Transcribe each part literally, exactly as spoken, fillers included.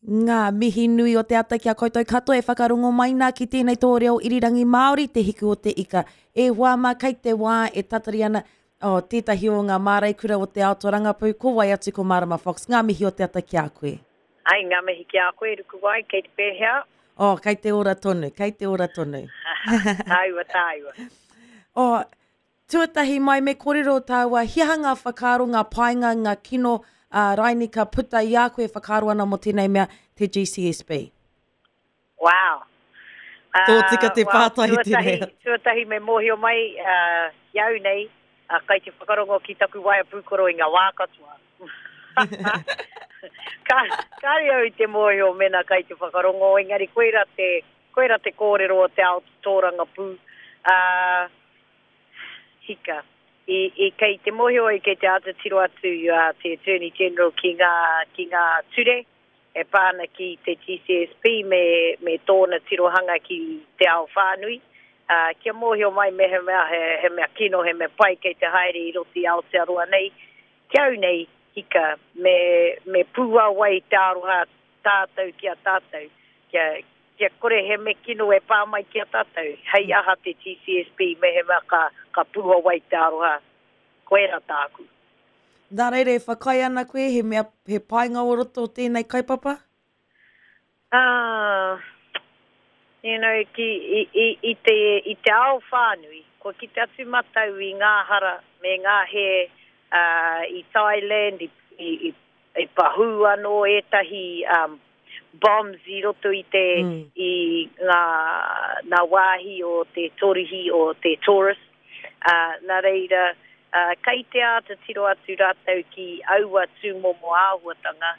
Ngā mihi nui o te ata ki a koutou katoa e whakarongo mai nā ki tēnei tō reo irirangi Māori, Te Hiku o te Ika. E hoa mā, kei te wā e tatari ana oh, tētahi o ngā māreikura o te ao tōrangapū, ko wai atu ko Marama Fox. Ngā mihi o te ata ki a koe. Ai, ngā mihi ki a koe, Rukuwai, kei te pēhea? Oh, kei te ora tonu, kei te ora tonu. Tāua, tāua. Oh, tuatahi mai me kōrero tāua, he aha ngā whakaaro, ngā painga, ngā kino, uh, raini ka puta i a koe e whakaaro ana mō tēnei mea, te G C S B? Wow. Uh, Tō tika te well, pātai tuatahi, tēnei. Tuatahi me mōhio mai uh, ki au nei, uh, kai te whakarongo ki taku waea pūkoro i ngā wā katoa. Ka, kāre au i te mōhio mena kai te whakarongo, engari koira te, koira te kōrero o te ao tōrangapū. Uh, hika. I, i kei te mōhio i kei te āta tiro atu uh, te Attorney General ki ngā, ki ngā ture e pā ana ki te G C S P me, me tōna tirohanga ki te ao whānui. Uh, kia mōhio mai mehemea he, he mea kino, he mea pai kei te haere i roto i Aotearoa nei. Ki au nei, hika, me, me pūawai te aroha tātou ki a tātou. Kia, kia kore he me kino e pā mai ki a tātou. Hei aha te G C S P mehemea ka, ka pūawai te aroha. Koera tāku. Nā reira, e whakaae ana koe, he mea, he painga o roto o tēnei kaupapa? Ah, you know, ki, i, i, i, te, i te ao whānui, kua ki te atu matau i ngā hara me ngā he, uh, i Thailand, i, i, i, i pahū anō ētahi, um, bombs i roto i te, mm. i ngā, ngā wāhi o te torihi o te tourist. Uh, nā reira, uh, kei te āta tiro atu rātou ki aua tūmomo āhuatanga,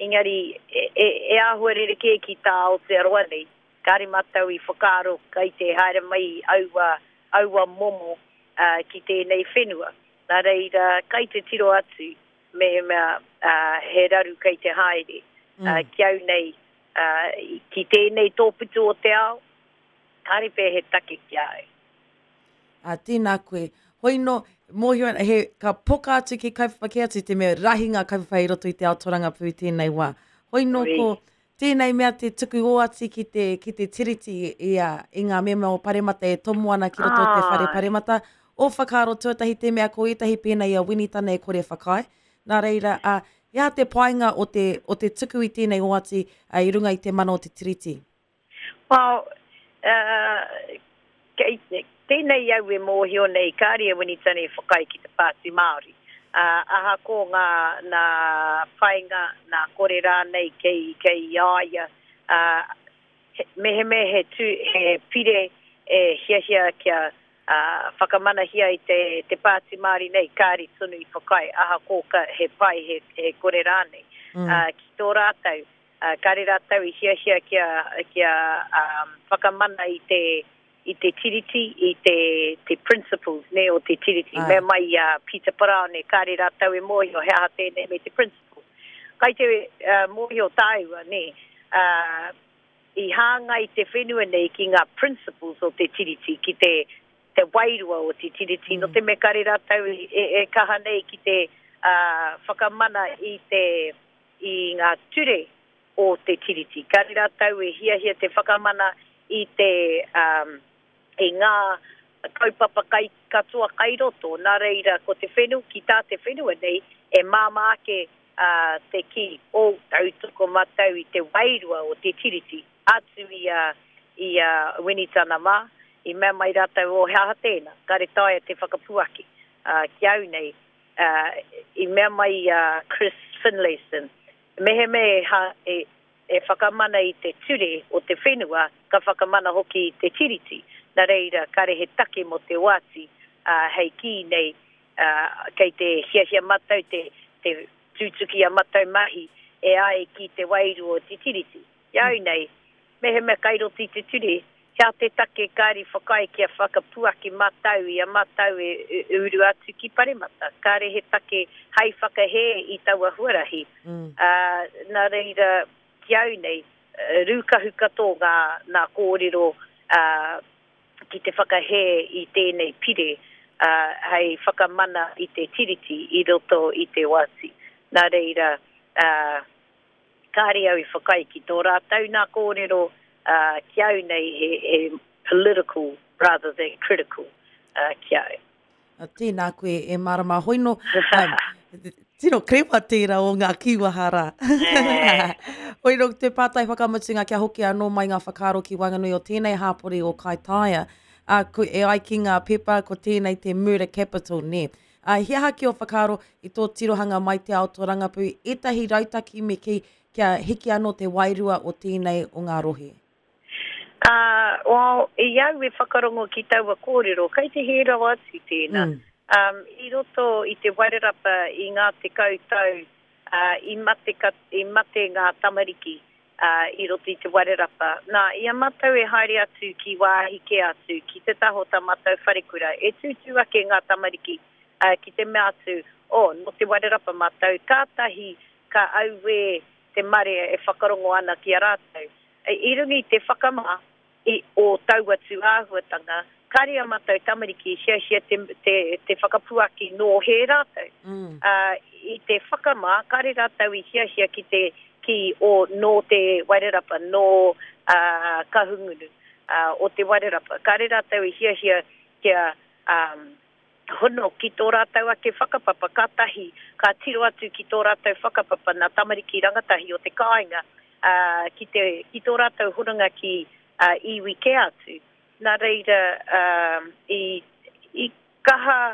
engari e, e, e āhua rerekē ki tā Aotearoa nei. Kāre mātou i whakaaro kei te haere mai aua, aua momo, uh, ki tēnei whenua. Nā reira, kei te tiro atu mehemea, uh, he raru kei te haere. Mm. Uh, ki au nei, uh, ki tēnei tōputu o te ao, kāre pē he take ki a au. A, tēnā koe. Hoi no, mōhio ana, he, ka poka atu ki kaupapa kē atu te mea rahi ngā kaupapa i roto i te ao tōrangapū i tēnei wā. Hoi no Oi. ko tēnei mea te tuku oati ki te, ki te tiriti i, a, i ngā mema o Paremata e tomo ana ki roto o te whare Ai. Paremata. O whakaaro tuatahi te mea ko ētahi pēnei a Winitana e kore whakaae. Nā reira, a, he aha te painga o te, o te tuku i tēnei oati, a, i runga i te mana o te tiriti? Well, uh, kei, tēnei au e mōhio nei, kāre e Winitana e whakaae ki te Pāti Māori. Uh, aha ko ngā, nā painga, nā kore rānei kei, kei i a ia. Uh, he, mehemea he, tū, he pire e hiahia kia, uh, whakamanahia i te, te Pāti Māori nei, kāre tonu i whakaae, aha ko ka, he pai, he, he kore rānei. Mm. Uh, ki tō rātou, uh, kāre rātou i hiahia kia, kia, um, whakamana i te, i te tiriti, i te, te principles, ne, o te tiriti. Ai. Mea mai i a Peter Paraone, kāre rātou e mōhio, he aha tēnei me te principles. Kai te, uh, mōhio tāua, ne, uh, i hāngai te whenua nei ki ngā principles o te tiriti, ki te, te wairua o te tiriti. Mm. No te me kāre rātou i, e, e kaha nei ki te, uh, whakamana i te, i ngā ture o te tiriti. Kāre rātou e hiahia te whakamana i te, um, i ngā kaupapa kai, katoa kai roto. Nā reira, ko te whenua, ki tā te whenua nei, e māmā ake, uh, te ki o tautoko matau i te wairua o te tiriti. Atu i a, i a Winitana mā, i mea mai rātou o he aha tēnā, kāre taea te whakapuaki. Uh, ki au nei, uh, i mea mai a Chris Finlayson, mehemea e, ha, e, e whakamana i te ture o te whenua, ka whakamana hoki i te tiriti. Nā reira, kāre he take mō te oati, uh, hei kī nei, uh, kei te hiahia matau, te, te tūtuki a matau mahi, e ai ki te wairua o te tiriti. I au nei, mehemea kai roto i te ture, hea te take kāre whakaae kia whakapuaki matau i a matau e, e uru atu ki Paremata. Kāre he take hei whakahē i taua huarahi. Mm. Uh, nā reira, ki au nei, rūkahu katoa ngā, ngā kōrero, uh, ki te whakahē i tēnei pire, uh, hei whakamana i te tiriti i roto i te oati. Nā reira, uh, Kāre au i whakaae ki tō rātou nā kōrero, uh, ki au nei he, he political rather than critical uh, ki au. Tēnā koe e Marama Hoino. Um, tino krewa tērā o ngā kīwaha rā. Hoino, te pātai whakamutunga kia hoki anō mai ngā whakaaro ki waenganui o tēnei hāpori o Kaitaia. Uh, ko, e ai ki ngā pepa, ko tēnei te murder capital, nē. Uh, he aha ki o whakaaro i tō tirohanga mai te ao tōrangapū, ētahi rautaki me ki kia hiki anō te wairua o tēnei o ngā rohe? Uh, well, i au e whakarongo ki taua kōrero, kei te hē rawa atu tēnā. Mm. Um, i roto i te Wairarapa i ngā tekau tau, uh, i, mate ka, i mate ngā tamariki uh, i roto i te Wairarapa. Nā, i a mātou e haere atu ki wāhi kē atu, ki te taho tā mātou wharekura, e tūtū ake ngā tamariki uh, ki te mea atu, oh, no te Wairarapa mātou, kātahi ka auē te marea e whakarongo ana ki a rātou. E, i runga i te whakamā i, o taua tūāhuatanga, kāre a mātou tamariki hiahia te, te, te whakapuaki nō he rātou. Mm. Uh, i te whakamā, kāre rātou i hiahia ki te ki o nō te Wairarapa, nō uh, Kahungunu uh, o te Wairarapa. Kāre rātou i hiahia kia um, hono ki tō rātou ake whakapapa, kātahi, ka tiro atu ki tō rātou whakapapa nā tamariki rangatahi o te kāinga, uh, ki, te, ki tō rātou hononga ki uh, iwi kē atu. Nā reira, um, i, i kaha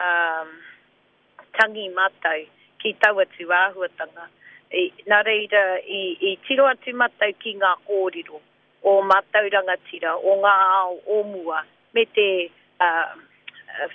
um, tangi mātou ki taua tūāhuatanga. I, nā reira, i, i tiro atu mātou ki ngā kōrero o mātou rangatira, o ngā ao o mua, me te uh,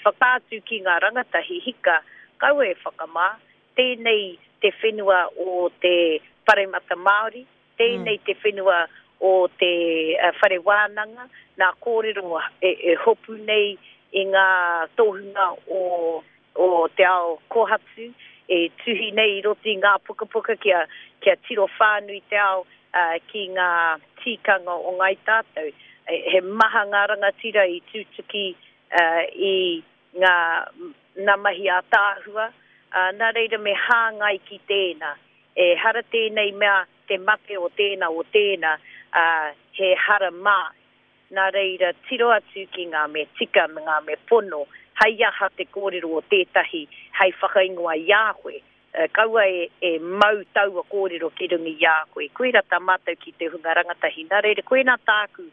whakaatu ki ngā rangatahi hika, kaua e whakamā, tēnei te whenua o te Paremata Māori, tēnei mm. te whenua o te uh, whare wānanga, nā kōrero e, e hopu nei i ngā tohunga o, o te ao kohatu, e tuhi nei i roto i ngā pukapuka kia, kia tiro whānui te ao uh, ki ngā tikanga o ngai tātou. E, he maha ngā rangatira i tūtuki uh, i ngā nā mahi ātaahua, uh, nā reira me hāngai ki tēnā. E hara tēnei mea te mate o tēnā o tēnā, uh, he hara mā. Nā reira tiro atu ki ngā me tika me ngā me pono, hei aha te kōrero o tētahi, hei whakaingoa i a koe. Uh, kaua e, e mau taua kōrero ki runga i a koe. Koira tā mātou ki te hunga rangatahi. Nā reira, koina tāku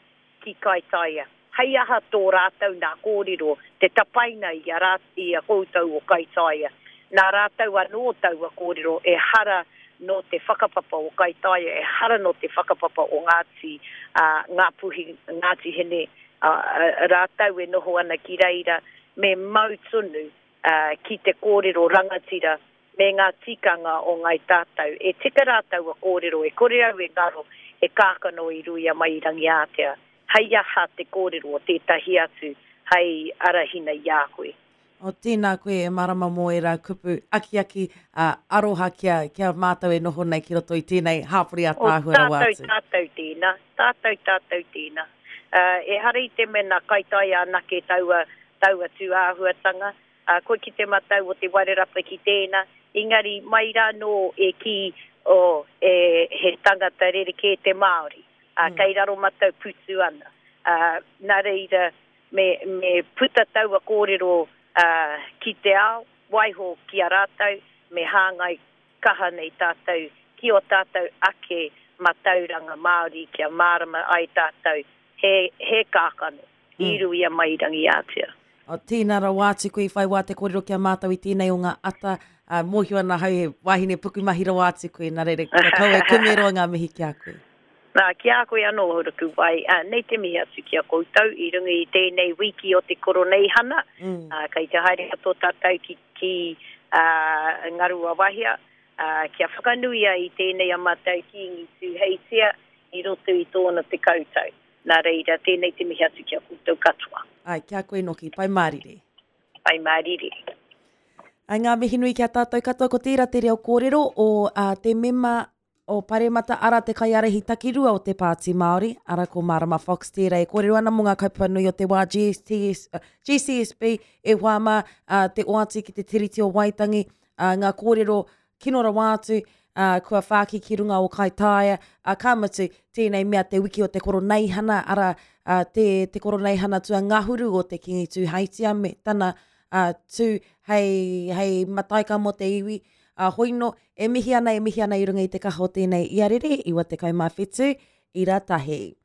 ki Kaitaia. Hei aha tō rātou nā kōrero, te tapaina i a, rā, i a koutou o Kaitaia. Nā rātou anō taua kōrero e hara nō te whakapapa o Kaitaia, e hara nō te whakapapa o Ngāti, uh, Ngāpuhi, Ngāti Hine, uh, rātou e noho ana ki reira, me mau tonu uh, ki te kōrero rangatira me ngā tikanga o ngai tātou. E tika rātou a kōrero, e kore au e ngaro, e kākano i ruia mai i Rangiātea. Hei aha te kōrero o tētahi atu, hei arahina i a koe. O tēnā koe e Marama mō e rā kupu akiaki uh, aroha kia, kia mātou e noho nei ki roto i tēnei hāpori ātaahua rawa atu. atu. O tātou tātou tēnā, tātou tātou tēnā. Uh, e hara i te mea nā Kaitaia anake taua, taua tūāhuatanga, uh, koe ki te matau o te Wairarapa ki tēnā, engari mai rā nō e ki o, e, he tangata rerekē te Māori, uh, mm. kei raro matau putu ana. Uh, nā reira, me, me puta taua kōrero uh, ki te ao, waiho ki a rātou, me hāngai kaha nei tātou, ki o tātou ake matauranga Māori, kia mārama ai tātou, he, he kākano, mm. i ruia mai Rangiātea. O, tēnā rawa atu koe i whai wā te kōrero kia mātou i tēnei o ngā ata, uh, mōhio ana hau he wahine pukumahi rawa atu koe, nā reira, kia kaua e kumeroa ngā mihi ki a koe. Nā, ki a koe anō Ruku Wai, uh, nei te mihi atu ki a koutou i runga i tēnei wiki o te koroneihana, mm. uh, kei te haere katoa tātou ki, ki uh, Ngaruawahia, uh, kia whakanuia i tēnei a mātou Kīngi Tūheitia i roto i tōna te kautau. Nā reira, tēnei te mihi atu ki a koutou katoa. Ai, kia koe noki, pai mārire. Pai mārire. Ai, ngā mihi nui ki a tātou katoa, ko tērā te reo kōrero o uh, te mema o Paremata ara te kaiārahi takirua o te Pāti Māori, ara ko Marama Fox tērā e kōrero ana mō ngā kaupapa nui o te wā G S T S, uh, G C S B e wāmā uh, te oati ki te Tiriti o Waitangi, uh, ngā kōrero kino rawa atu, uh, kua whāki ki runga o Kaitaia, uh, ka mutu tēnei mea te wiki o te koroneihana, ara uh, te, te koroneihana tua ngahuru o te Kingi Tūheitia me tana uh, tū hei, hei mataika mō te iwi. Uh, hoino, e mihi ana, e mihi ana i runga i te kaha o tēnei iarere, iwa tekau mā whitu, ira tahi.